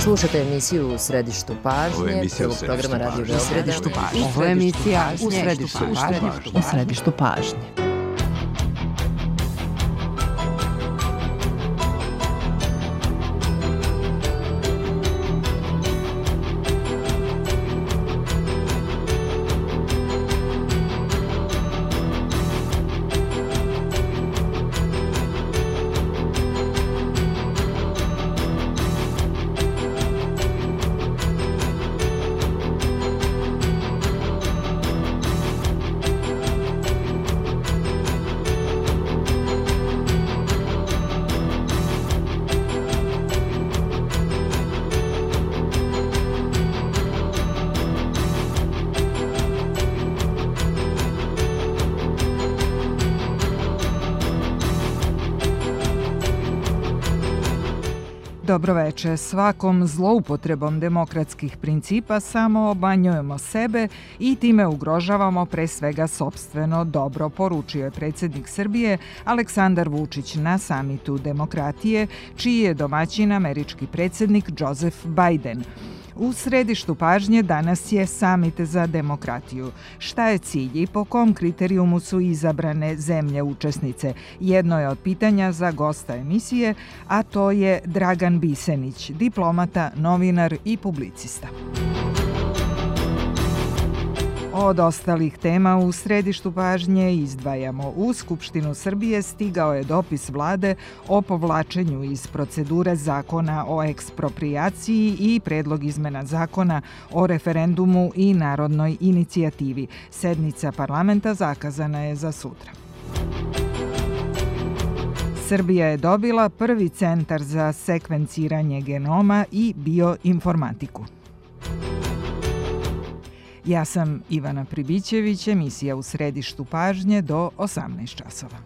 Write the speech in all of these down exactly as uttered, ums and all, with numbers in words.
Slušate emisiju U središtu pažnje, prvog programa Radio Beograda. Ovo je emisija U središtu pažnje. U središtu pažnje. Dobroveče. Svakom zloupotrebom demokratskih principa samo obanjujemo sebe i time ugrožavamo pre svega sopstveno dobro, poručio je predsjednik Srbije Aleksandar Vučić na samitu demokratije, čiji je domaćin američki predsjednik Joseph Biden. U središtu pažnje danas je samit za demokratiju. Šta je cilj i po kom kriterijumu su izabrane zemlje učesnice? Jedno je od pitanja za gosta emisije, a to je Dragan Bisenić, diplomata, novinar i publicista. Od ostalih tema u središtu pažnje izdvajamo. U Skupštinu Srbije stigao je dopis vlade o povlačenju iz procedure zakona o eksproprijaciji i predlog izmena zakona o referendumu i narodnoj inicijativi. Sednica parlamenta zakazana je za sutra. Srbija je dobila prvi centar za sekvenciranje genoma i bioinformatiku. Ja sam Ivana Pribićević, emisija U središtu pažnje do osamnaest časova.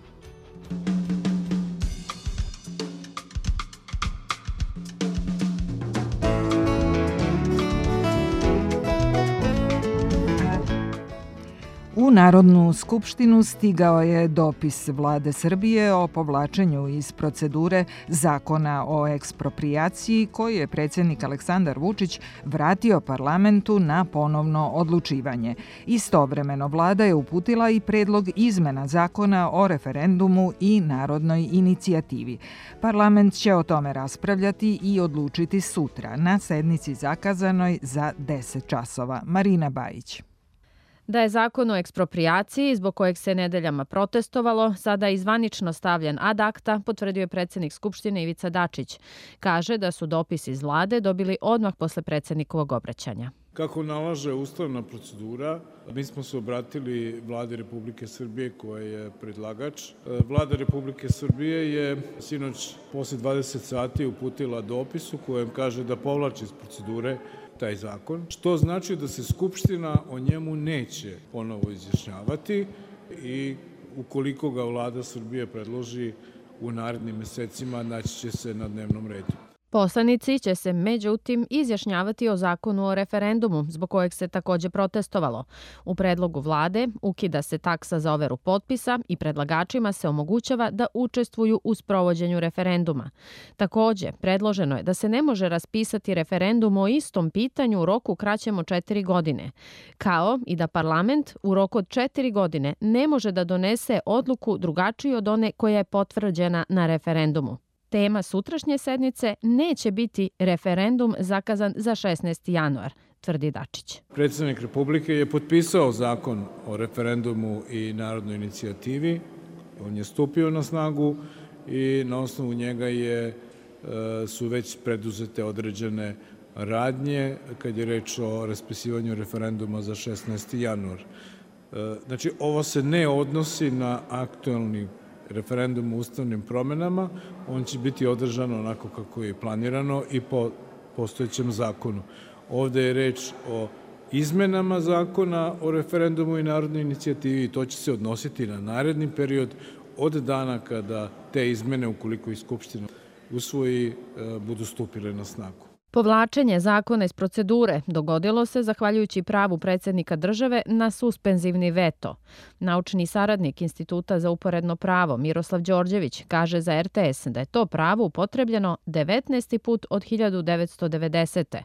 U Narodnu skupštinu stigao je dopis vlade Srbije o povlačenju iz procedure zakona o eksproprijaciji koji je predsjednik Aleksandar Vučić vratio parlamentu na ponovno odlučivanje. Istovremeno vlada je uputila i predlog izmena zakona o referendumu i narodnoj inicijativi. Parlament će o tome raspravljati i odlučiti sutra na sednici zakazanoj za deset časova. Marina Bajić. Da je zakon o eksproprijaciji, zbog kojeg se nedeljama protestovalo, sada je zvanično stavljen ad acta, potvrdio je predsjednik Skupštine Ivica Dačić. Kaže da su dopis iz vlade dobili odmah posle predsjednikovog obraćanja. Kako nalaže ustavna procedura, mi smo se obratili Vladi Republike Srbije koja je predlagač. Vlada Republike Srbije je sinoć posle dvadeset sati uputila dopis u kojem kaže da povlači iz procedure taj zakon, što znači da se Skupština o njemu neće ponovo izjašnjavati i ukoliko ga Vlada Srbije predloži u narednim mesecima, naći će se na dnevnom redu. Poslanici će se međutim izjašnjavati o zakonu o referendumu, zbog kojeg se također protestovalo. U predlogu vlade ukida se taksa za overu potpisa i predlagačima se omogućava da učestvuju u sprovođenju referenduma. Također, predloženo je da se ne može raspisati referendum o istom pitanju u roku kraćem od četiri godine, kao i da parlament u roku od četiri godine ne može da donese odluku drugačiju od one koja je potvrđena na referendumu. Tema sutrašnje sednice neće biti referendum zakazan za šesnaesti januar, tvrdi Dačić. Predsjednik Republike je potpisao zakon o referendumu i narodnoj inicijativi. On je stupio na snagu i na osnovu njega je, su već preduzete određene radnje kad je reč o raspisivanju referenduma za šesnaesti januar. Znači, ovo se ne odnosi na aktuelni referendum o ustavnim promenama, on će biti održan onako kako je planirano i po postojećem zakonu. Ovde je reč o izmenama zakona o referendumu i narodnoj inicijativi i to će se odnositi na naredni period od dana kada te izmene, ukoliko i Skupština usvoji, budu stupile na snagu. Povlačenje zakona iz procedure dogodilo se zahvaljujući pravu predsjednika države na suspenzivni veto. Naučni saradnik Instituta za uporedno pravo Miroslav Đorđević kaže za er te es da je to pravo upotrebljeno devetnaesti put od hiljadu devetsto devedesete.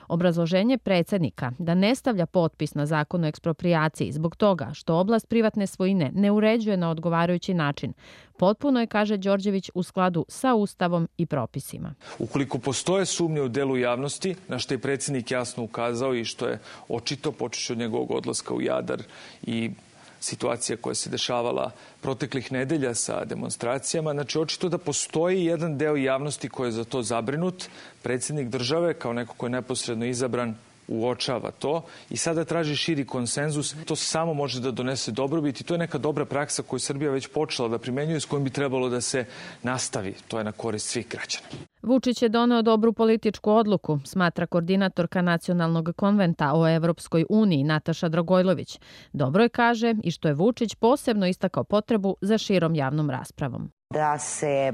Obrazloženje predsjednika da ne stavlja potpis na zakon o eksproprijaciji zbog toga što oblast privatne svojine ne uređuje na odgovarajući način potpuno je, kaže Đorđević, u skladu sa Ustavom i propisima. Ukoliko postoje sumnje u delu javnosti, na što je predsjednik jasno ukazao i što je očito počeši od njegovog odlaska u Jadar i situacija koja se dešavala proteklih nedelja sa demonstracijama. Znači, očito da postoji jedan deo javnosti koji je za to zabrinut. Predsjednik države, kao neko ko je neposredno izabran, uočava to i sada traži širi konsenzus. To samo može da donese dobrobit i to je neka dobra praksa koju Srbija već počela da primenjuje, s kojom bi trebalo da se nastavi. To je na korist svih građana. Vučić je doneo dobru političku odluku, smatra koordinatorka Nacionalnog konventa o Evropskoj uniji Nataša Dragojlović. Dobro je, kaže, i što je Vučić posebno istakao potrebu za širom javnom raspravom. Da se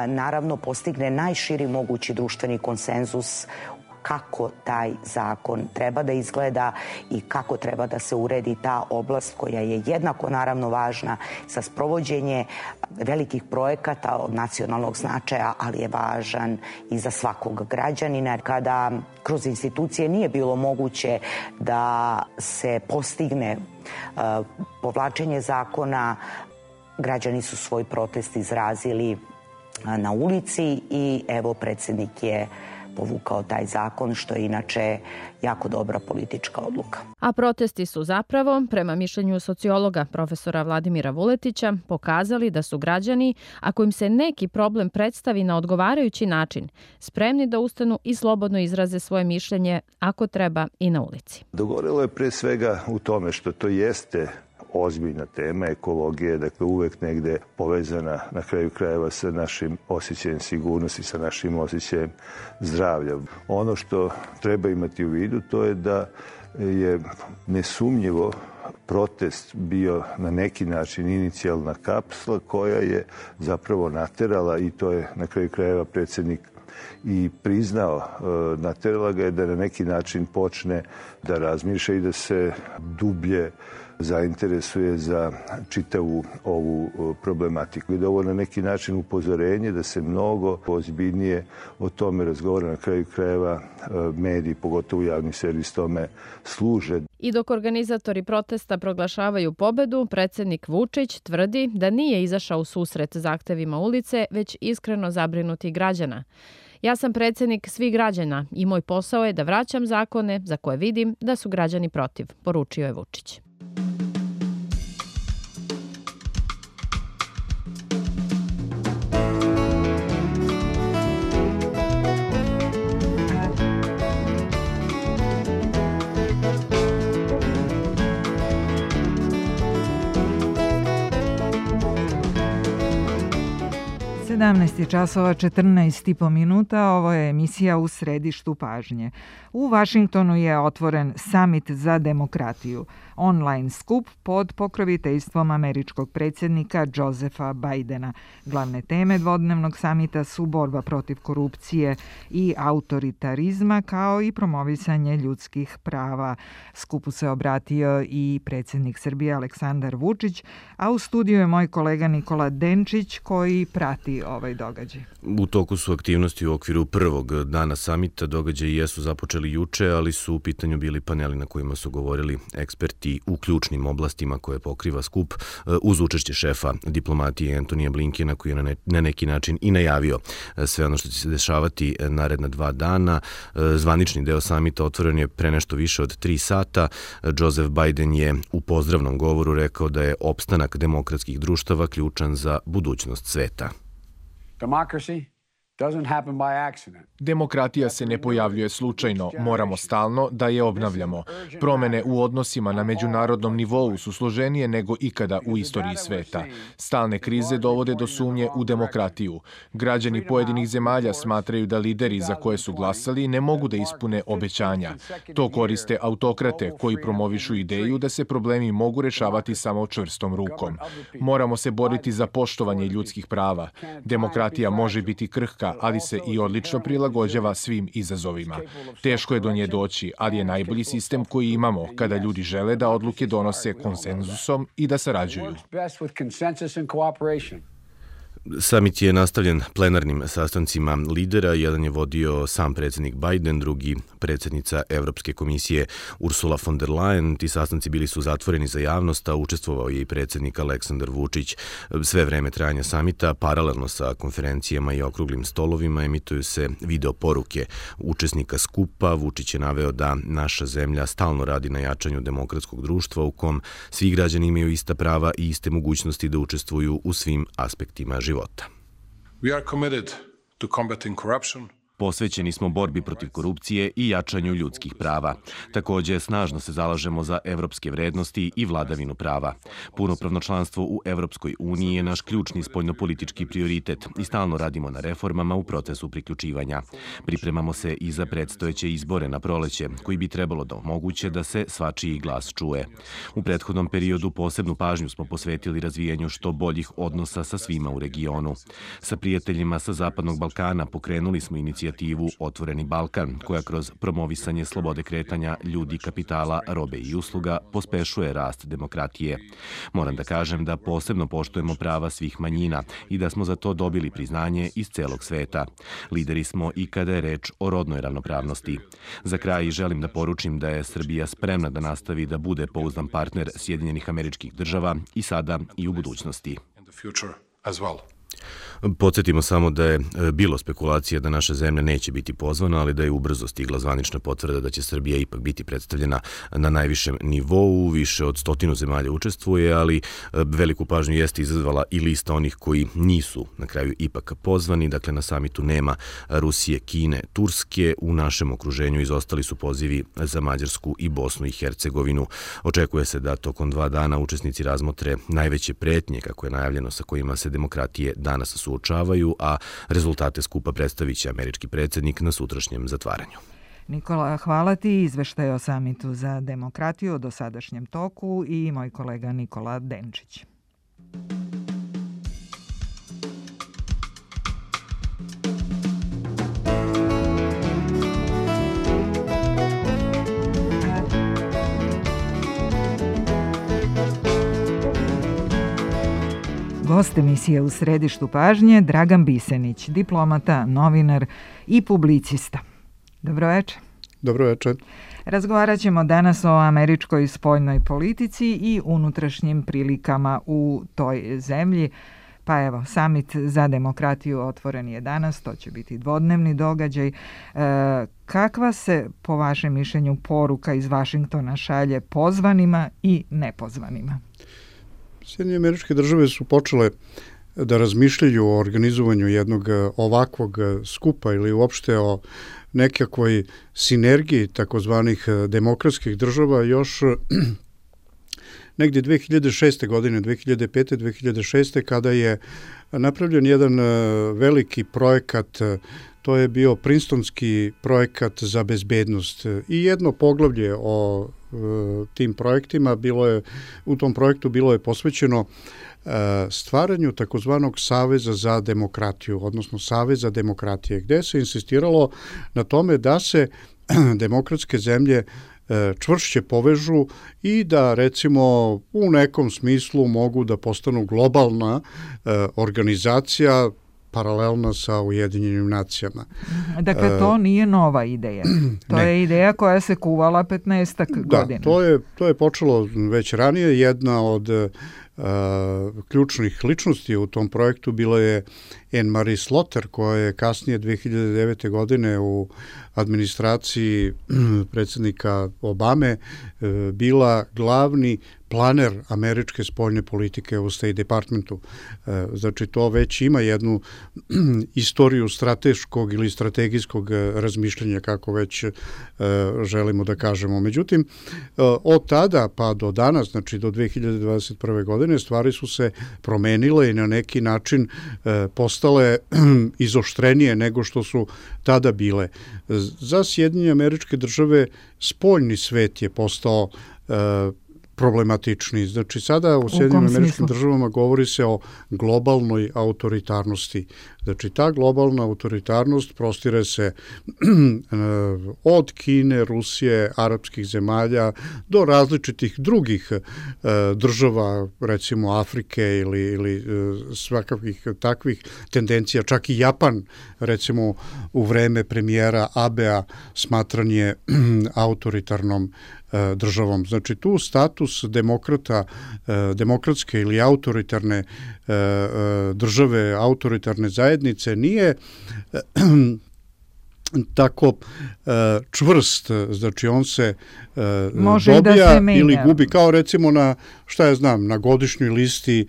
naravno postigne najširi mogući društveni konsenzus kako taj zakon treba da izgleda i kako treba da se uredi ta oblast koja je jednako naravno važna za sprovođenje velikih projekata od nacionalnog značaja, ali je važan i za svakog građanina. Kada kroz institucije nije bilo moguće da se postigne uh, povlačenje zakona, građani su svoj protest izrazili uh, na ulici i evo predsjednik je povukao taj zakon, što je inače jako dobra politička odluka. A protesti su zapravo, prema mišljenju sociologa profesora Vladimira Vuletića, pokazali da su građani, ako im se neki problem predstavi na odgovarajući način, spremni da ustanu i slobodno izraze svoje mišljenje, ako treba i na ulici. Dogovorilo je pre svega u tome što to jeste ozbiljna tema, ekologije, dakle uvek negde povezana na kraju krajeva sa našim osjećajem sigurnosti, sa našim osjećajem zdravlja. Ono što treba imati u vidu to je da je nesumnjivo protest bio na neki način inicijalna kapsla koja je zapravo naterala, i to je na kraju krajeva predsjednik i priznao, naterala ga je da na neki način počne da razmišlja i da se dublje zainteresuje za čitavu ovu problematiku. I da ovo na neki način upozorenje da se mnogo ozbiljnije o tome razgovara, na kraju krajeva mediji, pogotovo javni servis, tome služe. I dok organizatori protesta proglašavaju pobedu, predsjednik Vučić tvrdi da nije izašao u susret zahtevima ulice, već iskreno zabrinuti građana. Ja sam predsjednik svih građana i moj posao je da vraćam zakone za koje vidim da su građani protiv, poručio je Vučić. sedamnaest časova četrnaest i po minuta, ovo je emisija U središtu pažnje. U Vašingtonu je otvoren Summit za demokratiju, online skup pod pokroviteljstvom američkog predsjednika Josepha Bidena. Glavne teme dvodnevnog samita su borba protiv korupcije i autoritarizma, kao i promovisanje ljudskih prava. Skupu se obratio i predsjednik Srbije Aleksandar Vučić, a u studiju je moj kolega Nikola Denčić koji prati ovaj događaj. U toku su aktivnosti u okviru prvog dana samita. Događaji jesu započeli juče, ali su u pitanju bili paneli na kojima su govorili eksperti u ključnim oblastima koje pokriva skup, uz učešće šefa diplomatije Antonija Blinkena, koji je na neki način i najavio sve ono što će se dešavati naredna dva dana. Zvanični deo samita otvoren je pre nešto više od tri sata. Joseph Biden je u pozdravnom govoru rekao da je opstanak demokratskih društava ključan za budućnost sveta. Democracy doesn't happen by accident. Demokratija se ne pojavljuje slučajno, moramo stalno da je obnavljamo. Promene u odnosima na međunarodnom nivou su složenije nego ikada u istoriji sveta. Stalne krize dovode do sumnje u demokratiju. Građani pojedinih zemalja smatraju da lideri za koje su glasali ne mogu da ispune obećanja. To koriste autokrate koji promovišu ideju da se problemi mogu rešavati samo čvrstom rukom. Moramo se boriti za poštovanje ljudskih prava. Demokratija može biti krhka kratka, ali se i odlično prilagođava svim izazovima. Teško je do nje doći, ali je najbolji sistem koji imamo kada ljudi žele da odluke donose konsenzusom i da sarađuju. Samit je nastavljen plenarnim sastancima lidera. Jedan je vodio sam predsjednik Biden, drugi predsjednica Evropske komisije Ursula von der Leyen. Ti sastanci bili su zatvoreni za javnost, a učestvovao je i predsjednik Aleksandar Vučić. Sve vreme trajanja samita, paralelno sa konferencijama i okruglim stolovima, emituju se video poruke učesnika skupa. Vučić je naveo da naša zemlja stalno radi na jačanju demokratskog društva u kom svi građani imaju ista prava i iste mogućnosti da učestvuju u svim aspektima života. života. We are committed to combating corruption. Posvećeni smo borbi protiv korupcije i jačanju ljudskih prava. Također, snažno se zalažemo za evropske vrednosti i vladavinu prava. Punopravno članstvo u Evropskoj uniji je naš ključni spoljnopolitički prioritet i stalno radimo na reformama u procesu priključivanja. Pripremamo se i za predstojeće izbore na proleće, koji bi trebalo da omoguće da se svačiji glas čuje. U prethodnom periodu posebnu pažnju smo posvetili razvijanju što boljih odnosa sa svima u regionu. Sa prijateljima sa Zapadnog Balkana pokrenuli smo inicijativu Otvoreni Balkan, koja kroz promovisanje slobode kretanja ljudi, kapitala, robe i usluga pospešuje rast demokratije. Moram da kažem da posebno poštujemo prava svih manjina i da smo za to dobili priznanje iz celog sveta. Lideri smo i kada je reč o rodnoj ravnopravnosti. Za kraj želim da poručim da je Srbija spremna da nastavi da bude pouzdan partner Sjedinjenih Američkih Država i sada i u budućnosti. Podsjetimo samo da je bilo spekulacija da naša zemlja neće biti pozvana, ali da je ubrzo stigla zvanična potvrda da će Srbija ipak biti predstavljena na najvišem nivou. Više od stotinu zemalja učestvuje, ali veliku pažnju jeste izazvala i lista onih koji nisu na kraju ipak pozvani. Dakle, na samitu nema Rusije, Kine, Turske. U našem okruženju izostali su pozivi za Mađarsku i Bosnu i Hercegovinu. Očekuje se da tokom dva dana učesnici razmotre najveće pretnje, kako je najavljeno, sa kojima se demokratije danas suočavaju, a rezultate skupa predstavit će američki predsjednik na sutrašnjem zatvaranju. Nikola, hvala ti. Izveštaj o samitu za demokratiju o dosadašnjem toku i moj kolega Nikola Denčić. Gost emisije U središtu pažnje Dragan Bisenić, diplomata, novinar i publicista. Dobro večer. Dobro večer. Razgovarat ćemo danas o američkoj spoljnoj politici i unutrašnjim prilikama u toj zemlji. Pa evo, samit za demokratiju otvoren je danas, to će biti dvodnevni događaj. E, kakva se, po vašem mišljenju, poruka iz Vašingtona šalje pozvanima i nepozvanima? Sjedinjene Američke Države su počele da razmišljaju o organizovanju jednog ovakvog skupa ili uopšte o nekakvoj sinergiji takozvanih demokratskih država još negdje dve hiljade šeste. godine, dve hiljade pete. dve hiljade šeste. kada je napravljen jedan veliki projekat. To je bio Princetonski projekat za bezbednost i jedno poglavlje o e, tim projektima bilo je, u tom projektu bilo je posvećeno e, stvaranju takozvanog Saveza za demokratiju, odnosno Saveza demokratije, gde se insistiralo na tome da se demokratske zemlje e, čvršće povežu i da recimo u nekom smislu mogu da postanu globalna e, organizacija paralelna sa Ujedinjenim nacijama. Dakle, to nije nova ideja. To ne. je ideja koja se kuvala petnaestak godina. Da, to je, to je počelo već ranije. Jedna od uh, ključnih ličnosti u tom projektu bila je Anne-Marie Slaughter, koja je kasnije dve hiljade devete. godine u administraciji predsjednika Obame uh, bila glavni planer američke spoljne politike u State Departmentu. Znači, to već ima jednu istoriju strateškog ili strategijskog razmišljanja, kako već želimo da kažemo. Međutim, od tada pa do danas, znači do dve hiljade dvadeset prve. godine, stvari su se promenile i na neki način postale izoštrenije nego što su tada bile. Za Sjedinjene Američke Države spoljni svet je postao problematičniji. Znači sada u Sjedinjenim Američkim Državama govori se o globalnoj autoritarnosti. Znači ta globalna autoritarnost prostire se od Kine, Rusije, arapskih zemalja do različitih drugih država, recimo Afrike ili, ili svakakvih takvih tendencija. Čak i Japan, recimo u vreme premijera Abea, smatran je autoritarnom državom. Znači tu status demokrata, demokratske ili autoritarne države, autoritarne zajednice nije tako čvrst, znači on se Može dobija da se ili gubi, kao recimo na, šta ja znam, na godišnjoj listi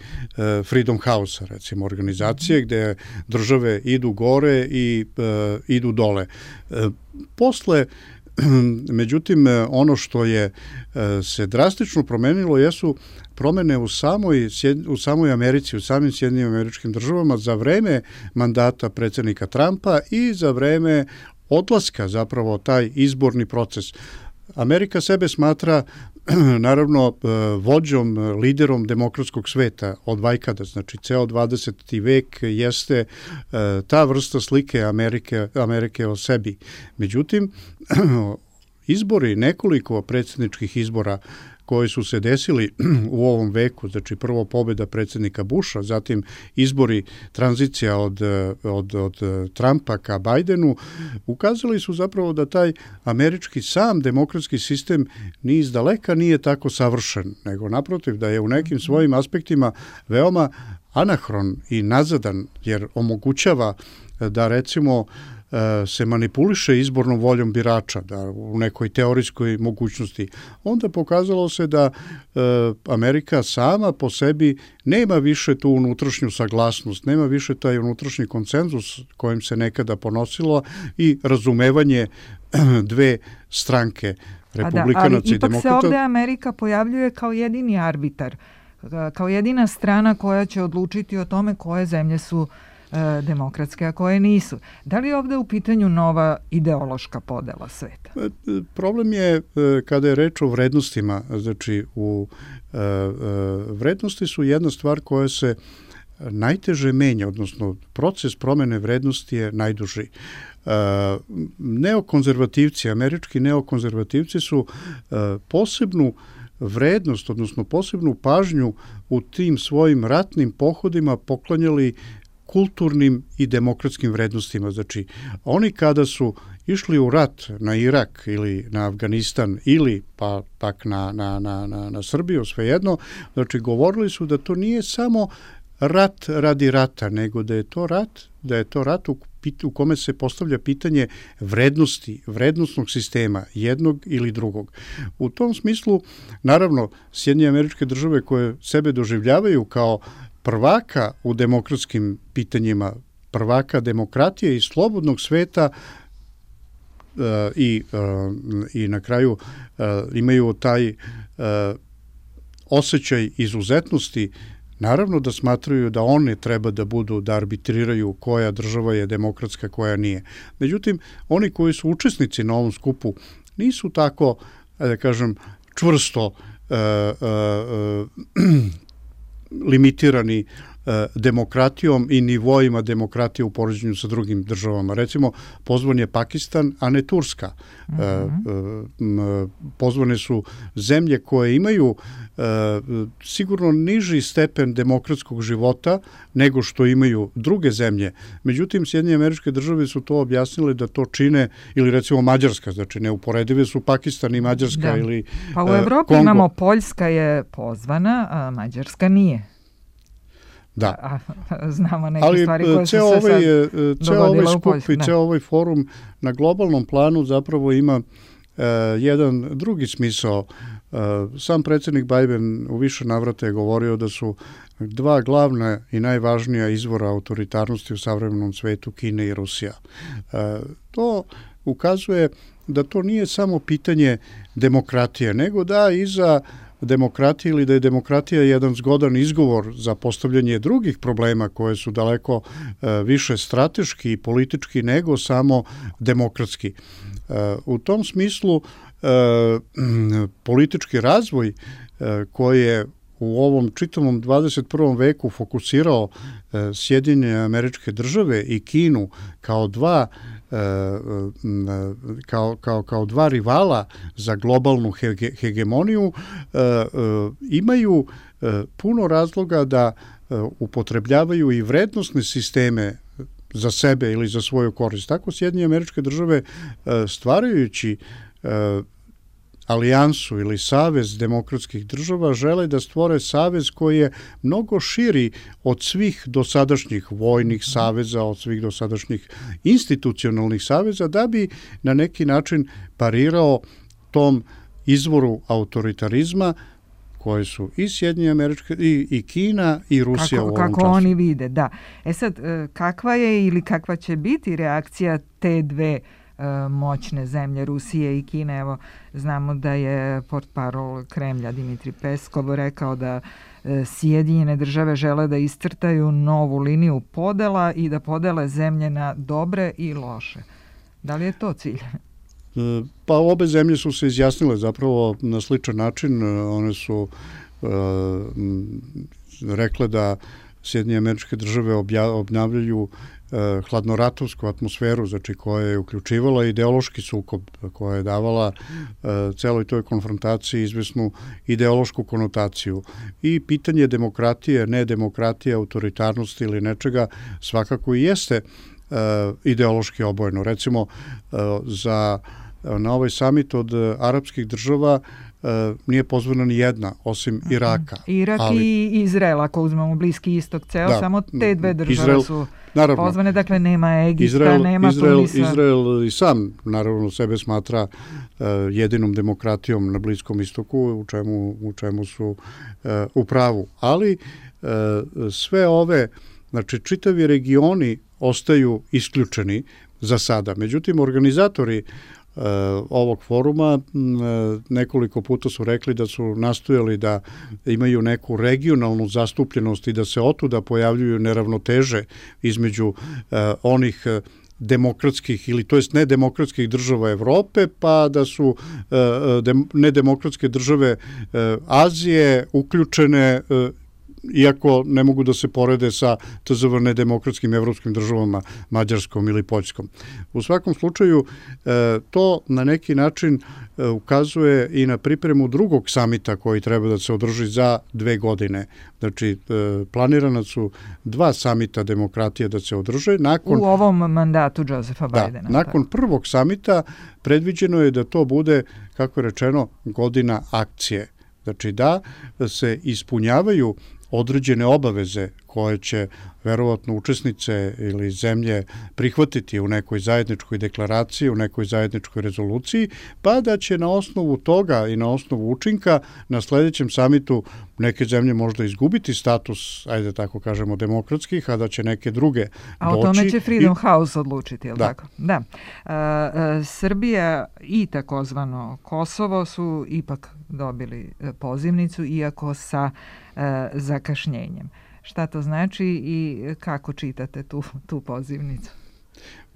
Freedom House-a, recimo organizacije gde države idu gore i idu dole. Posle međutim, ono što je se drastično promenilo jesu promene u samoj, u samoj Americi, u samim Sjedinjenim Američkim Državama za vreme mandata predsjednika Trumpa i za vreme odlaska, zapravo taj izborni proces. Amerika sebe smatra naravno vođom, liderom demokratskog sveta od vajkada, znači ceo dvadeseti vek jeste ta vrsta slike Amerike, Amerike o sebi. Međutim, izbori, nekoliko predsjedničkih izbora koji su se desili u ovom veku, znači prvo pobjeda predsjednika Busha, zatim izbori, tranzicija od, od, od Trumpa ka Bidenu, ukazali su zapravo da taj američki sam demokratski sistem ni iz daleka nije tako savršen, nego naprotiv da je u nekim svojim aspektima veoma anahron i nazadan, jer omogućava da recimo se manipuliše izbornom voljom birača, da u nekoj teorijskoj mogućnosti. Onda pokazalo se da e, Amerika sama po sebi nema više tu unutrašnju saglasnost, nema više taj unutrašnji konsenzus kojim se nekada ponosilo i razumevanje dve stranke, republikanaca i demokrata. Ali ipak se ovde Amerika pojavljuje kao jedini arbitar, kao jedina strana koja će odlučiti o tome koje zemlje su demokratske, a koje nisu. Da li je ovde u pitanju nova ideološka podela sveta? Problem je kada je reč o vrednostima. Znači, u, vrednosti su jedna stvar koja se najteže menja, odnosno proces promene vrednosti je najduži. Neokonzervativci, američki neokonzervativci su posebnu vrednost, odnosno posebnu pažnju u tim svojim ratnim pohodima poklanjali kulturnim i demokratskim vrednostima. Znači, oni kada su išli u rat na Irak ili na Afganistan ili pa pak na, na, na, na, na Srbiju, svejedno, znači govorili su da to nije samo rat radi rata, nego da je to rat, da je to rat u, u kome se postavlja pitanje vrednosti, vrednostnog sistema, jednog ili drugog. U tom smislu, naravno, Sjedinjene Američke Države koje sebe doživljavaju kao prvaka u demokratskim pitanjima, prvaka demokratije i slobodnog sveta uh, i, uh, i na kraju uh, imaju taj uh, osjećaj izuzetnosti, naravno da smatraju da one treba da budu, da arbitriraju koja država je demokratska, koja nije. Međutim, oni koji su učesnici na ovom skupu nisu tako, da kažem, čvrsto uh, uh, uh, limitirani demokratijom i nivoima demokratije u poređenju sa drugim državama. Recimo, pozvan je Pakistan, a ne Turska. Mm-hmm. Pozvane su zemlje koje imaju sigurno niži stepen demokratskog života nego što imaju druge zemlje. Međutim, Sjedinjene Američke Države su to objasnile da to čine, ili recimo Mađarska, znači neuporedive su Pakistan i Mađarska da. ili Pa u Evropi Kongo. Imamo Poljska je pozvana, a Mađarska nije. Da. A, znamo neke ali stvari koje su se ovaj, sad ceo ovaj skup Poljsku, i ceo ovaj forum na globalnom planu zapravo ima uh, jedan drugi smisao. Uh, sam predsjednik Biden u više navrata je govorio da su dva glavna i najvažnija izvora autoritarnosti u savremenom svetu Kina i Rusija. Uh, to ukazuje da to nije samo pitanje demokratije, nego da iza demokratije ili da je demokratija jedan zgodan izgovor za postavljanje drugih problema koje su daleko e, više strateški i politički nego samo demokratski. E, u tom smislu e, politički razvoj koje u ovom čitavom dvadeset prvom veku fokusirao Sjedinjene Američke Države i Kinu kao dva kao, kao, kao dva rivala za globalnu hege, hegemoniju, imaju puno razloga da upotrebljavaju i vrednosne sisteme za sebe ili za svoju korist. Tako Sjedinjene Američke Države stvarajući alijansu ili savez demokratskih država žele da stvore savez koji je mnogo širi od svih dosadašnjih vojnih saveza, od svih dosadašnjih institucionalnih saveza, da bi na neki način parirao tom izvoru autoritarizma koje su i Sjedinjene Američke, i, i Kina, i Rusija kako, u ovom kako času. oni vide, da. E sad, kakva je ili kakva će biti reakcija te dve moćne zemlje, Rusije i Kine? Evo, znamo da je portparol Kremlja Dimitrij Peskov rekao da Sjedinjene države žele da iscrtaju novu liniju podela i da podele zemlje na dobre i loše. Da li je to cilj? Pa obe zemlje su se izjasnile zapravo na sličan način. One su uh, rekle da Sjedinjene Američke Države obnavljaju hladnoratovsku atmosferu, znači koja je uključivala ideološki sukob, koja je davala celoj toj konfrontaciji izvesnu ideološku konotaciju. I pitanje demokratije, nedemokratije, autoritarnosti ili nečega svakako i jeste ideološki obojeno. Recimo, za, na ovaj samit od arapskih država nije pozvana ni jedna, osim Iraka. Irak ali, i Izrael, ako uzmemo Bliski istok ceo, da, samo te dve države Izrael, su naravno, pozvane, dakle nema Egipta, Izrael, nema Izrael, Tunisa. Izrael i sam, naravno, sebe smatra uh, jedinom demokratijom na Bliskom istoku, u čemu, u čemu su uh, u pravu. Ali uh, sve ove, znači čitavi regioni ostaju isključeni za sada. Međutim, organizatori Uh, ovog foruma uh, nekoliko puta su rekli da su nastojali da imaju neku regionalnu zastupljenost i da se otuda pojavljuju neravnoteže između uh, onih uh, demokratskih ili to jest nedemokratskih država Evrope, pa da su uh, dem, nedemokratske države uh, Azije uključene uh, iako ne mogu da se porede sa tzv. Nedemokratskim evropskim državama, Mađarskom ili Poljskom. U svakom slučaju, to na neki način ukazuje i na pripremu drugog samita koji treba da se održi za dve godine. Znači, planirana su dva samita demokratije da se održe. Nakon, u ovom mandatu Josefa Bajdena. Da, nakon prvog samita predviđeno je da to bude, kako je rečeno, godina akcije. Znači da se ispunjavaju određene obaveze koje će verovatno učesnice ili zemlje prihvatiti u nekoj zajedničkoj deklaraciji, u nekoj zajedničkoj rezoluciji, pa da će na osnovu toga i na osnovu učinka na sledećem samitu neke zemlje možda izgubiti status, ajde tako kažemo, demokratskih, a da će neke druge doći. A o tome će Freedom i... House odlučiti, je li da. tako? Da. E, e, Srbija i takozvano Kosovo su ipak dobili pozivnicu, iako sa e, zakašnjenjem. Šta to znači i kako čitate tu, tu pozivnicu?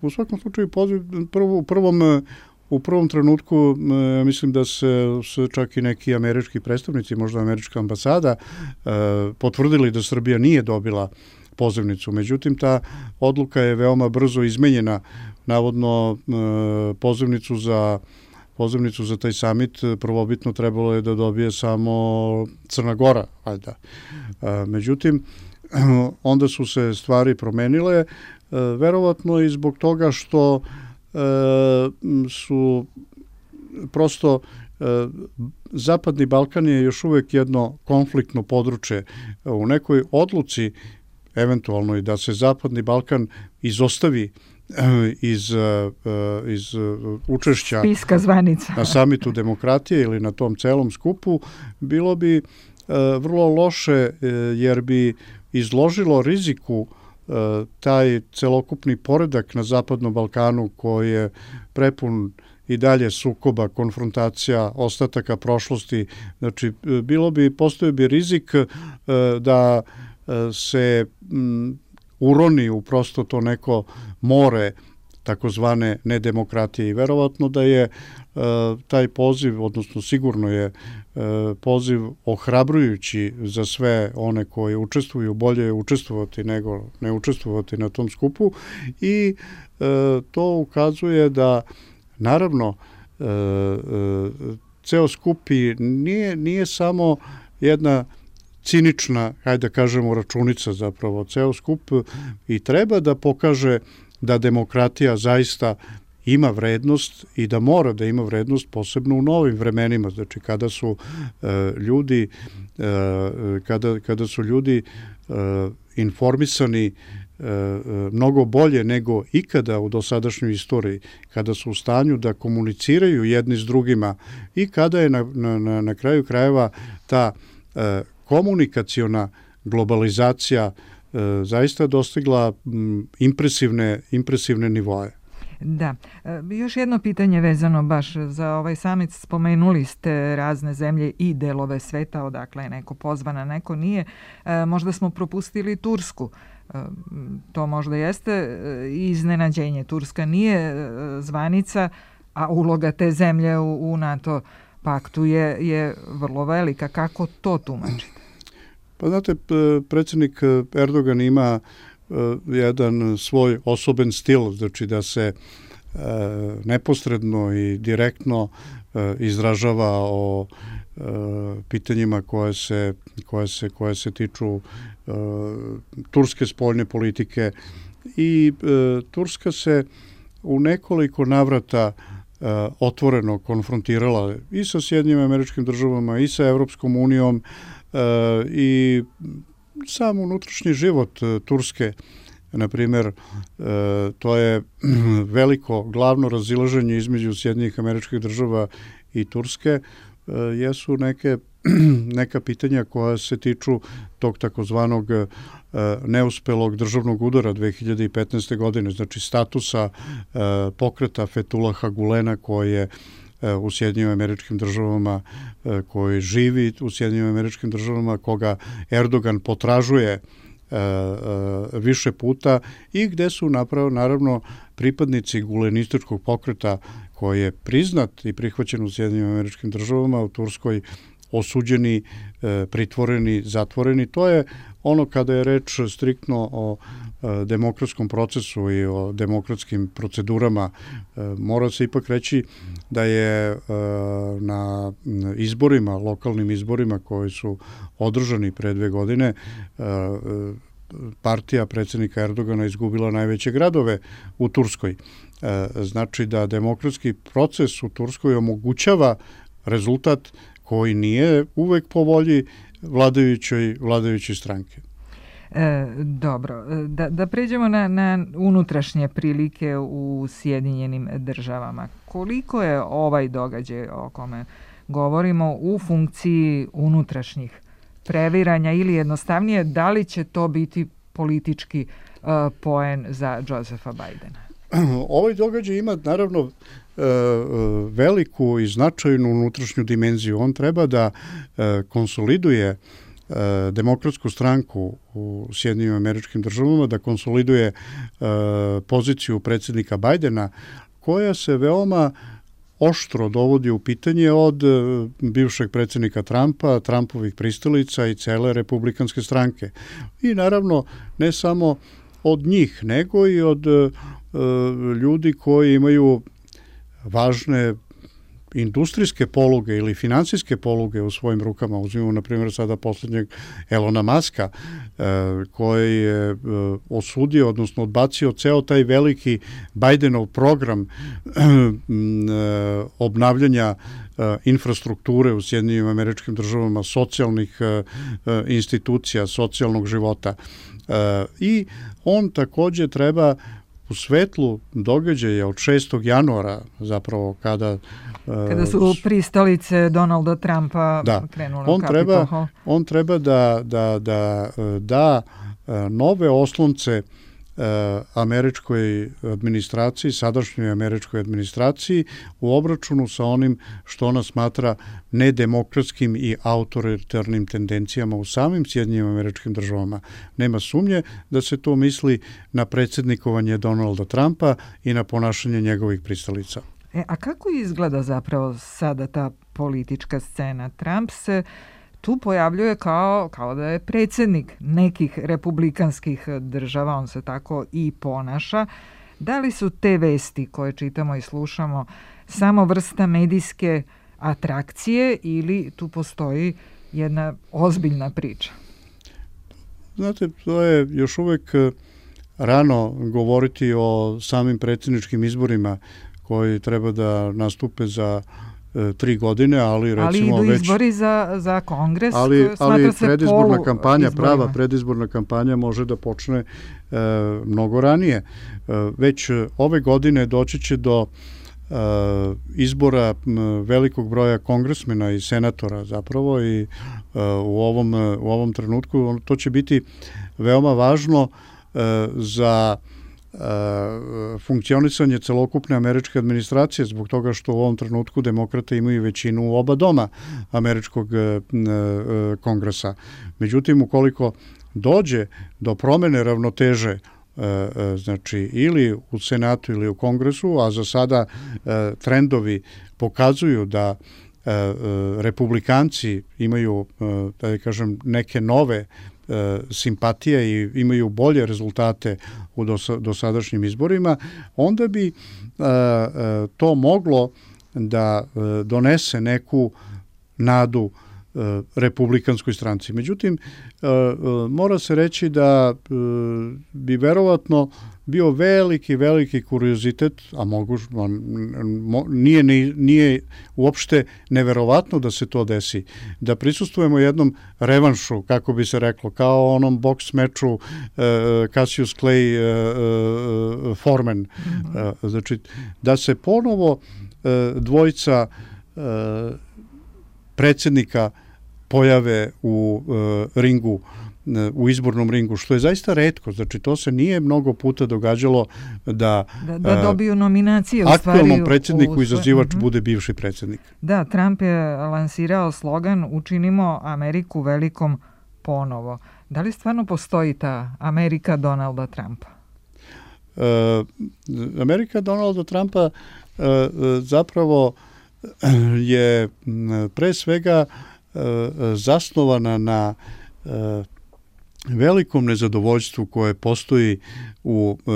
U svakom slučaju, poziv, prvo, u, prvom, u prvom trenutku mislim da se, se čak i neki američki predstavnici, možda američka ambasada, e, potvrdili da Srbija nije dobila pozivnicu. Međutim, ta odluka je veoma brzo izmenjena. Navodno, e, pozivnicu za pozivnicu za taj samit prvobitno trebalo je da dobije samo Crna Gora, valjda. Međutim, onda su se stvari promenile, verovatno i zbog toga što su prosto Zapadni Balkan je još uvek jedno konfliktno područje. U nekoj odluci, eventualno i da se Zapadni Balkan izostavi iz, iz učešća spiska zvanica na samitu demokratije ili na tom celom skupu, bilo bi vrlo loše jer bi izložilo riziku taj celokupni poredak na Zapadnom Balkanu koji je prepun i dalje sukoba, konfrontacija, ostataka prošlosti. Znači, bilo bi, postoji bi rizik da se uroni u prosto to neko more takozvane nedemokratije i verovatno da je taj poziv, odnosno sigurno je poziv ohrabrujući za sve one koji učestvuju, bolje je učestvovati nego ne učestvovati na tom skupu i to ukazuje da naravno ceo skup i nije, nije samo jedna cinična, hajde da kažemo, računica zapravo, ceo skup i treba da pokaže da demokratija zaista ima vrednost i da mora da ima vrednost posebno u novim vremenima, znači kada su e, ljudi e, kada, kada su ljudi e, informisani e, mnogo bolje nego ikada u dosadašnjoj istoriji, kada su u stanju da komuniciraju jedni s drugima i kada je na, na, na kraju krajeva ta e, komunikaciona globalizacija e, zaista dostigla m, impresivne, impresivne nivoje. Da. Još jedno pitanje vezano baš za ovaj samit. Spomenuli ste razne zemlje i delove sveta, odakle je neko pozvan, a neko nije. Možda smo propustili Tursku. To možda jeste iznenađenje. Turska nije zvanica, a uloga te zemlje u, u NATO paktu je, je vrlo velika. Kako to tumačite? Pa znate, predsjednik Erdogan ima jedan svoj osoben stil, znači da se e, neposredno i direktno e, izražava o e, pitanjima koje se, koje se, koje se tiču e, turske spoljne politike i e, Turska se u nekoliko navrata e, otvoreno konfrontirala i sa Sjedinjenim Američkim Državama i sa Evropskom unijom e, i sam unutrašnji život Turske, na primjer, to je veliko glavno razilaženje između Sjedinjenih Američkih Država i Turske, jesu neke, neka pitanja koja se tiču tog takozvanog neuspelog državnog udara dve hiljade petnaeste. godine, znači statusa pokreta Fethullaha Gulena koji je u Sjedinjenim Američkim Državama, koji živi u Sjedinjenim Američkim Državama, koga Erdogan potražuje više puta i gde su napravo, naravno pripadnici gulenističkog pokreta koji je priznat i prihvaćen u Sjedinjenim Američkim Državama, u Turskoj osuđeni, pritvoreni, zatvoreni. To je ono kada je reč striktno o demokratskom procesu i o demokratskim procedurama. Mora se ipak reći da je na izborima, lokalnim izborima koji su održani pre dve godine, partija predsjednika Erdogana izgubila najveće gradove u Turskoj. Znači da demokratski proces u Turskoj omogućava rezultat koji nije uvek po volji vladajućoj, vladajućoj stranke. E, dobro, da, da pređemo na, na unutrašnje prilike u Sjedinjenim Državama. Koliko je ovaj događaj o kome govorimo u funkciji unutrašnjih previranja ili jednostavnije, da li će to biti politički uh, poen za Josepha Bidena? Ovaj događaj ima naravno uh, veliku i značajnu unutrašnju dimenziju. On treba da uh, konsoliduje demokratsku stranku u Sjedinjenim Američkim Državama, da konsoliduje uh, poziciju predsjednika Bidena, koja se veoma oštro dovodi u pitanje od uh, bivšeg predsjednika Trumpa, Trumpovih pristalica i cele republikanske stranke. I naravno ne samo od njih, nego i od uh, ljudi koji imaju važne industrijske poluge ili finansijske poluge u svojim rukama. Uzmimo, na primjer, sada posljednjeg Elona Muska, koji je osudio, odnosno odbacio ceo taj veliki Bidenov program obnavljanja infrastrukture u Sjedinjenim Američkim Državama, socijalnih institucija, socijalnog života. I on takođe treba u svetlu događaja od šestog januara, zapravo kada kada su pristalice Donalda Trumpa da, krenule on u treba, Capitol. on treba da, da, da da nove oslonce američkoj administraciji, sadašnjoj američkoj administraciji u obračunu sa onim što ona smatra nedemokratskim i autoritarnim tendencijama u samim Sjedinjenim Američkim Državama. Nema sumnje da se to misli na predsjednikovanje Donalda Trumpa i na ponašanje njegovih pristalica. E, a kako izgleda zapravo sada ta politička scena? Trump se tu pojavljuje kao, kao da je predsjednik nekih republikanskih država, on se tako i ponaša. Da li su te vesti koje čitamo i slušamo samo vrsta medijske atrakcije ili tu postoji jedna ozbiljna priča? Znate, to je još uvek rano govoriti o samim predsjedničkim izborima koji treba da nastupe za tri godine, ali recimo već... Ali idu izbori za, za kongres, ali, ali se predizborna kampanja, izborima. prava predizborna kampanja može da počne e, mnogo ranije. E, već ove godine doći će do e, izbora velikog broja kongresmena i senatora zapravo i e, u, ovom, u ovom trenutku to će biti veoma važno e, za funkcionisanje celokupne američke administracije zbog toga što u ovom trenutku demokrate imaju većinu u oba doma američkog kongresa. Međutim, ukoliko dođe do promene ravnoteže znači ili u Senatu ili u Kongresu, a za sada trendovi pokazuju da republikanci imaju, da kažem, neke nove simpatije i imaju bolje rezultate u dosadašnjim izborima, onda bi to moglo da donese neku nadu republikanskoj stranci. Međutim, mora se reći da bi verovatno bio veliki, veliki kuriozitet, a mogu, nije, nije uopšte neverovatno da se to desi, da prisustvujemo jednom revanšu, kako bi se reklo, kao onom boks meču uh, Cassius Clay uh, uh, Foreman. Mm-hmm. Uh, znači, da se ponovo uh, dvojica uh, predsjednika pojave u uh, ringu, u izbornom ringu, što je zaista retko. Znači, to se nije mnogo puta događalo da, da, da dobiju nominacije u stvari. Aktualnom predsjedniku izazivač uh-huh. bude bivši predsjednik. Da, Trump je lansirao slogan Učinimo Ameriku velikom ponovo. Da li stvarno postoji ta Amerika Donalda Trumpa? Uh, Amerika Donalda Trumpa uh, zapravo je pre svega uh, zasnovana na uh, velikom nezadovoljstvu koje postoji u e,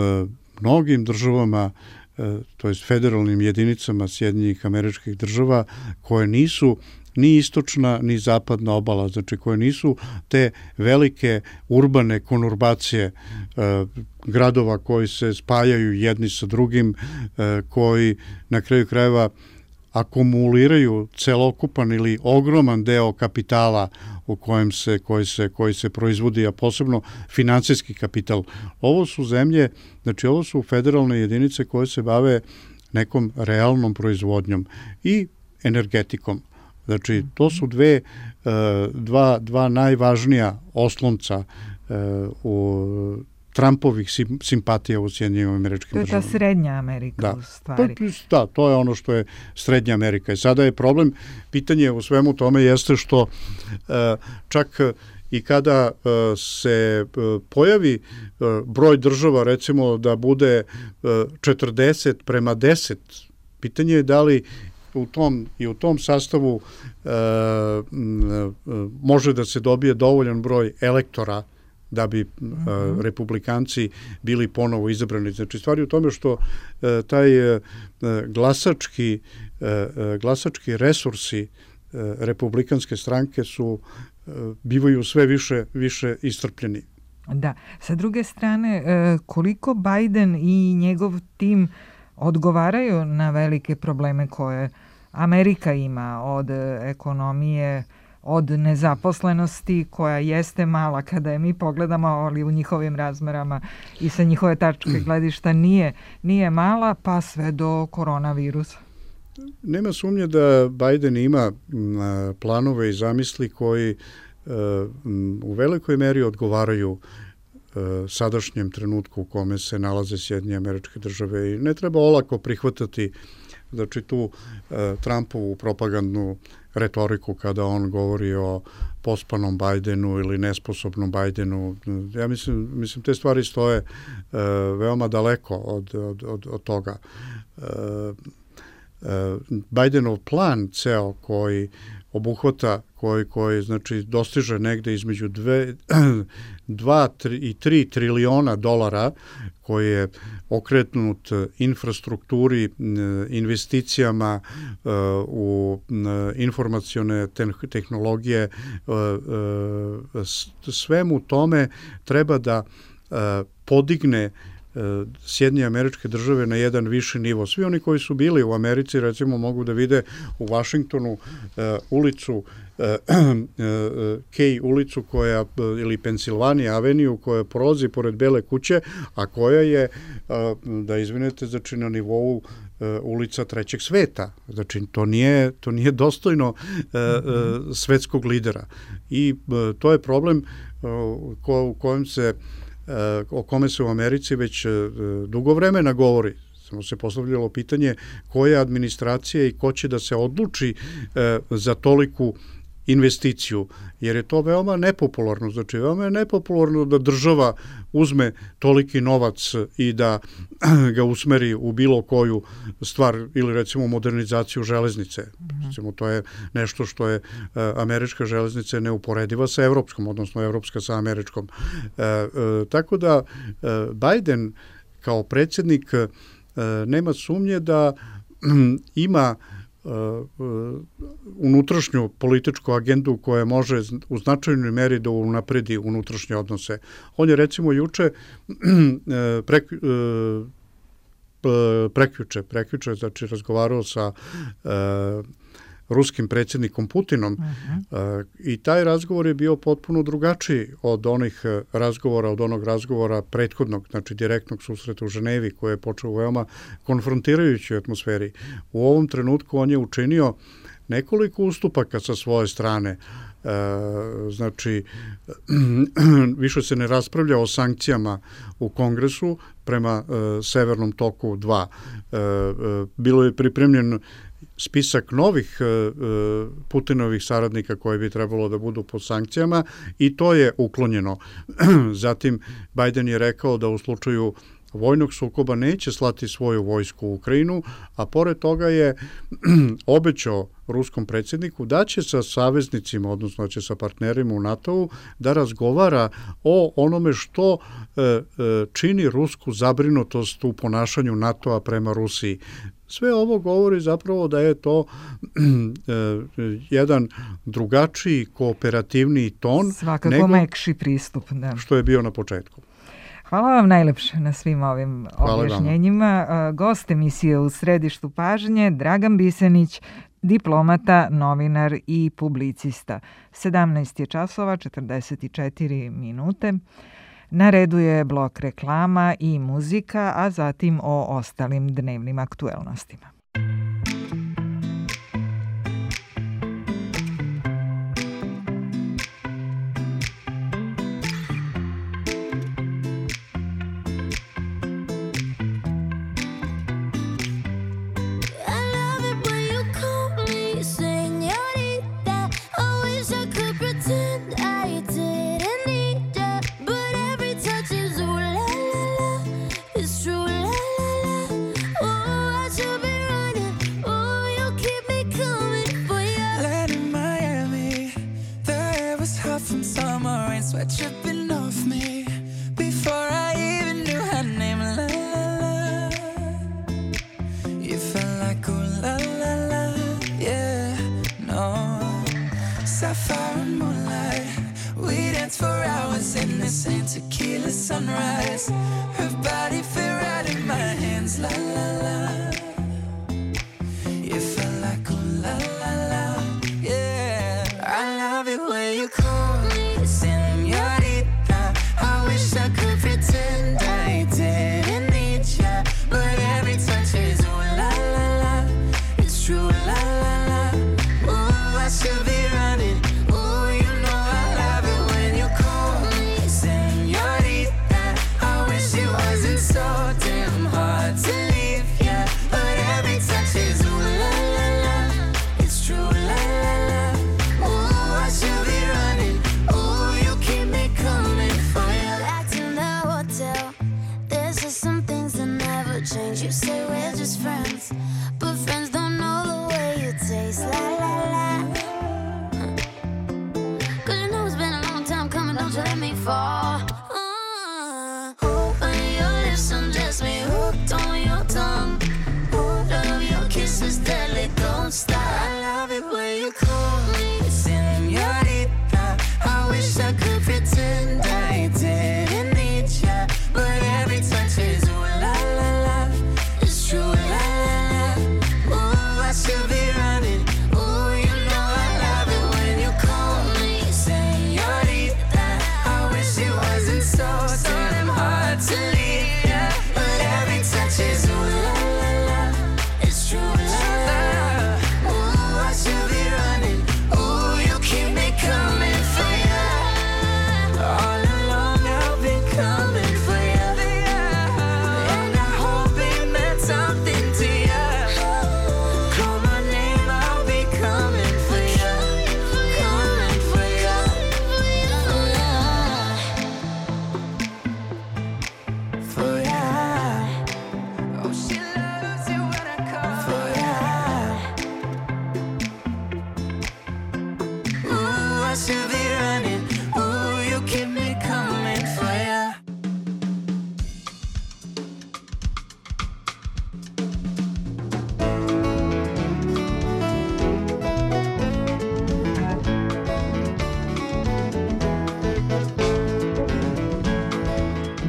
mnogim državama, e, to jest federalnim jedinicama Sjedinjenih Američkih Država, koje nisu ni istočna ni zapadna obala, znači koje nisu te velike urbane konurbacije e, gradova koji se spajaju jedni sa drugim, e, koji na kraju krajeva akumuliraju celokupan ili ogroman deo kapitala u kojem se, koji se, koji se proizvodi, a posebno finansijski kapital. Ovo su zemlje, znači ovo su federalne jedinice koje se bave nekom realnom proizvodnjom i energetikom. Znači, to su dve, dva, dva najvažnija oslonca u Trumpovih simpatija u Sjedinjenim Američkim Državama. To je ta Srednja Amerika da. u stvari. Da, to je ono što je Srednja Amerika. I sada je problem, pitanje u svemu tome jeste što čak i kada se pojavi broj država, recimo da bude četrdeset prema deset, pitanje je da li u tom, i u tom sastavu može da se dobije dovoljan broj elektora da bi uh-huh. uh, republikanci bili ponovo izabrani. Znači, stvari u tome što uh, taj uh, glasački, uh, glasački resursi uh, republikanske stranke su uh, bivaju sve više, više istrpljeni. Da. Sa druge strane, uh, koliko Biden i njegov tim odgovaraju na velike probleme koje Amerika ima, od ekonomije, od nezaposlenosti koja jeste mala kada je mi pogledamo, ali u njihovim razmerama i sa njihove tačke gledišta nije, nije mala, pa sve do koronavirusa. Nema sumnje da Biden ima planove i zamisli koji u velikoj meri odgovaraju sadašnjem trenutku u kome se nalaze Sjedinjene Američke Države i ne treba olako prihvatati znači tu Trumpovu propagandnu retoriku kada on govori o pospanom Bajdenu ili nesposobnom Bajdenu. Ja mislim, mislim te stvari stoje e, veoma daleko od, od, od, od toga. E, e, Bajdenov plan ceo koji obuhvata, koji, koji znači dostiže negde između dve, dva tri, i tri triliona dolara koji je okretnut infrastrukturi, investicijama u informacione tehnologije, svemu tome treba da podigne Sjedinjene Američke Države na jedan viši nivo. Svi oni koji su bili u Americi, recimo, mogu da vide u Vašingtonu ulicu Kej ulicu koja, ili Pensilvanija aveniju koja prolazi pored Bele kuće, a koja je, da izvinete, znači na nivou ulica trećeg sveta. Znači, to nije, to nije dostojno svetskog lidera. I to je problem u kojem se o kome se u Americi već dugo vremena govori. Samo se postavljalo pitanje koja administracija i ko će da se odluči za toliku investiciju, jer je to veoma nepopularno. Znači, veoma je nepopularno da država uzme toliki novac i da ga usmeri u bilo koju stvar ili recimo modernizaciju železnice. Mm-hmm. Recimo, to je nešto što je američka železnica neuporediva sa evropskom, odnosno evropska sa američkom. E, e, tako da e, Biden kao predsjednik e, nema sumnje da ima Uh, uh, unutrašnju političku agendu koja može u značajnoj meri da unapredi unutrašnje odnose. On je recimo juče prek, uh, prekjuče, prekjuče, znači razgovarao sa uh, ruskim predsjednikom Putinom uh-huh. uh, i taj razgovor je bio potpuno drugačiji od onih razgovora, od onog razgovora prethodnog, znači direktnog susreta u Ženevi koji je počeo u veoma konfrontirajućoj atmosferi. U ovom trenutku on je učinio nekoliko ustupaka sa svoje strane. E, znači, više se ne raspravlja o sankcijama u Kongresu prema e, Severnom toku dva. E, e, bilo je pripremljen spisak novih e, Putinovih saradnika koji bi trebalo da budu pod sankcijama i to je uklonjeno. Zatim, Biden je rekao da u slučaju vojnog sukoba neće slati svoju vojsku u Ukrajinu, a pored toga je obećao ruskom predsjedniku da će sa saveznicima, odnosno da će sa partnerima u NATO-u da razgovara o onome što e, e, čini rusku zabrinutost u ponašanju NATO-a prema Rusiji. Sve ovo govori zapravo da je to e, jedan drugačiji, kooperativniji ton. Svakako nego mekši pristup. Da. Što je bio na početku. Hvala vam najlepše na svim ovim Hvala objašnjenjima. Vama. Gost emisije U središtu pažnje, Dragan Bisenić, diplomata, novinar i publicista. sedamnaest je časova, četrdeset četiri minute. Na redu je blok reklama i muzika, a zatim o ostalim dnevnim aktuelnostima. Ooh, you know I love it when you call me señorita. never change. You say we're just friends, but friends don't know the way you taste. La la la. Cause you know it's been a long time coming, don't you let me fall. Uh, open your lips and just me hooked on your tongue. Oh, love your kisses, deadly, don't stop. I love it when you call me señorita. I wish I could pretend I didn't need ya, but every touch is ooh la la la. It's true, la la la. Ooh, I should be running. Ooh, you know I love it when you call me señorita. I wish it wasn't so, so damn hard to leave ya, but every touch is ooh la la la. It's true, la la la. Ooh, I should be running. Ooh, you keep me coming for ya. All along I've been coming for ya, and I hope it meant something to ya. Call my name, I'll be coming for ya, coming for ya, for ya. Oh, she loves it when I call for ya. Ooh, I should be running. Ooh, you keep me coming for ya.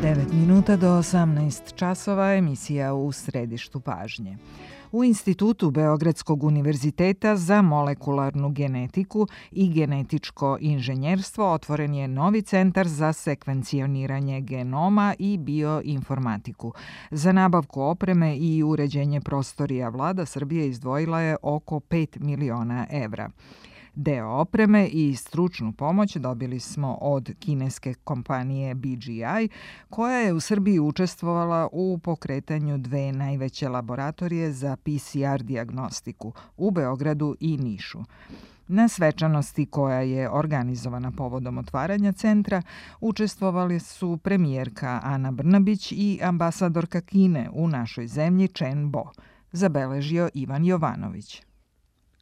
devet minuta do osamnaest časova, emisija U središtu pažnje. U Institutu Beogradskog univerziteta za molekularnu genetiku i genetičko inženjerstvo otvoren je novi centar za sekvencioniranje genoma i bioinformatiku. Za nabavku opreme i uređenje prostorija vlada Srbije izdvojila je oko pet miliona evra. Deo opreme i stručnu pomoć dobili smo od kineske kompanije B G I, koja je u Srbiji učestvovala u pokretanju dve najveće laboratorije za P C R dijagnostiku u Beogradu i Nišu. Na svečanosti koja je organizovana povodom otvaranja centra učestvovali su premijerka Ana Brnabić i ambasadorka Kine u našoj zemlji Chen Bo, zabeležio Ivan Jovanović.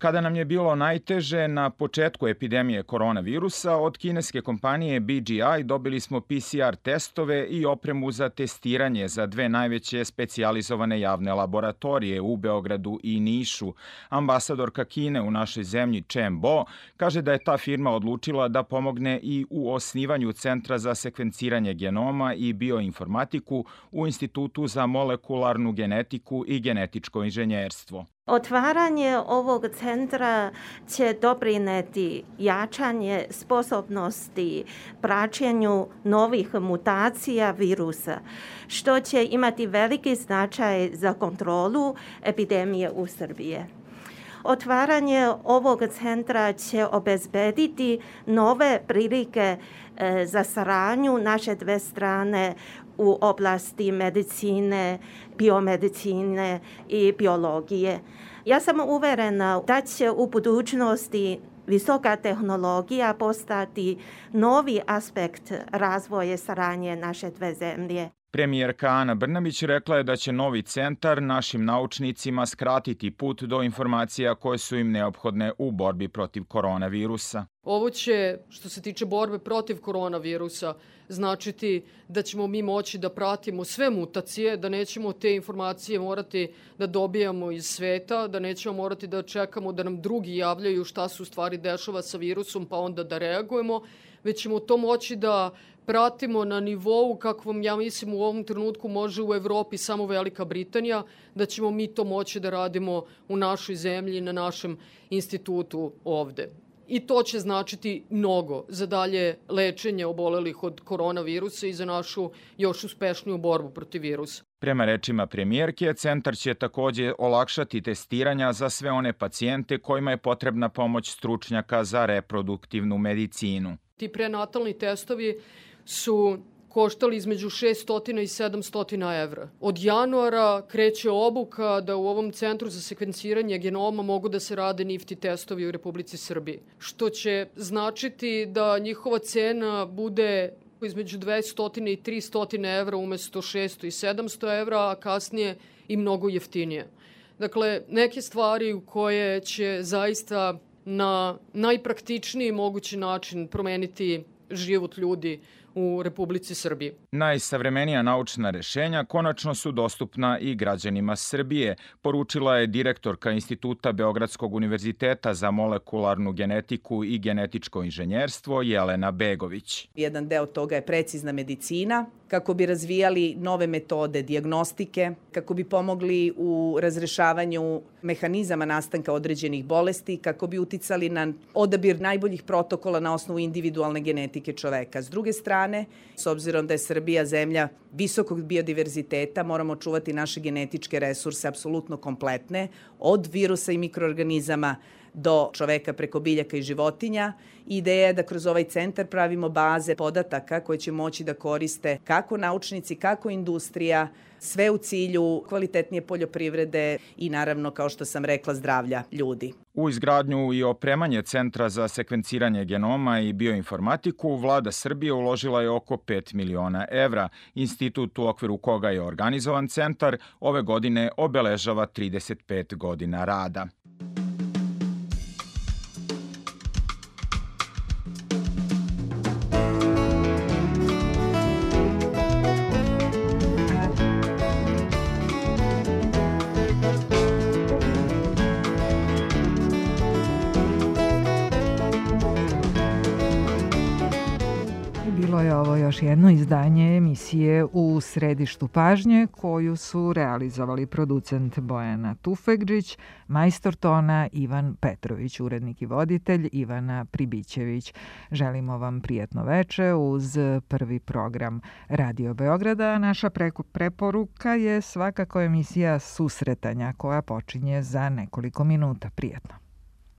Kada nam je bilo najteže na početku epidemije koronavirusa, od kineske kompanije B G I dobili smo P C R testove i opremu za testiranje za dve najveće specijalizovane javne laboratorije u Beogradu i Nišu. Ambasadorka Kine u našoj zemlji Chen Bo kaže da je ta firma odlučila da pomogne i u osnivanju Centra za sekvenciranje genoma i bioinformatiku u Institutu za molekularnu genetiku i genetičko inženjerstvo. Otvaranje ovog centra će doprineti jačanje sposobnosti praćenju novih mutacija virusa, što će imati veliki značaj za kontrolu epidemije u Srbiji. Otvaranje ovog centra će obezbediti nove prilike za saradnju naše dve strane u oblasti medicine, biomedicine i biologije. Ja sam uverena da će u budućnosti visoka tehnologija postati novi aspekt razvoja saradnje naše dve zemlje. Premijerka Ana Brnabić rekla je da će novi centar našim naučnicima skratiti put do informacija koje su im neophodne u borbi protiv koronavirusa. Ovo će, što se tiče borbe protiv koronavirusa, značiti da ćemo mi moći da pratimo sve mutacije, da nećemo te informacije morati da dobijamo iz sveta, da nećemo morati da čekamo da nam drugi javljaju šta se u stvari dešava sa virusom pa onda da reagujemo, već ćemo to moći da pratimo na nivou kakvom, ja mislim, u ovom trenutku može u Evropi samo Velika Britanija, da ćemo mi to moći da radimo u našoj zemlji, na našem institutu ovde. I to će značiti mnogo za dalje lečenje obolelih od koronavirusa i za našu još uspešniju borbu protiv virusa. Prema rečima premijerke, centar će takođe olakšati testiranja za sve one pacijente kojima je potrebna pomoć stručnjaka za reproduktivnu medicinu. Ti prenatalni testovi su koštali između šesto i sedamsto evra. Od januara kreće obuka da u ovom centru za sekvenciranje genoma mogu da se rade N I F T testovi u Republici Srbiji, što će značiti da njihova cena bude između dvesta i trista evra umesto šesto i sedamsto evra, a kasnije i mnogo jeftinije. Dakle, neke stvari u koje će zaista na najpraktičniji mogući način promeniti život ljudi u Republici Srbiji. Najsavremenija naučna rešenja konačno su dostupna i građanima Srbije, poručila je direktorka Instituta Beogradskog univerziteta za molekularnu genetiku i genetičko inženjerstvo Jelena Begović. Jedan deo toga je precizna medicina, kako bi razvijali nove metode dijagnostike, kako bi pomogli u razrešavanju mehanizama nastanka određenih bolesti, kako bi uticali na odabir najboljih protokola na osnovu individualne genetike čoveka. S druge strane, s obzirom da je Srbija zemlja visokog biodiverziteta, moramo čuvati naše genetičke resurse apsolutno kompletne, od virusa i mikroorganizama do čoveka preko biljaka i životinja. Ideja je da kroz ovaj centar pravimo baze podataka koje će moći da koriste kako naučnici, kako industrija, sve u cilju kvalitetnije poljoprivrede i naravno, kao što sam rekla, zdravlja ljudi. U izgradnju i opremanje Centra za sekvenciranje genoma i bioinformatiku vlada Srbije uložila je oko pet miliona evra. Institut u okviru koga je organizovan centar ove godine obeležava trideset pet godina rada. Bilo je ovo još jedno izdanje emisije U središtu pažnje koju su realizovali producent Bojana Tufegđić, majstor tona Ivan Petrović, urednik i voditelj Ivana Pribićević. Želimo vam prijatno veče uz prvi program Radio Beograda. Naša preporuka je svakako emisija Susretanja koja počinje za nekoliko minuta. Prijatno.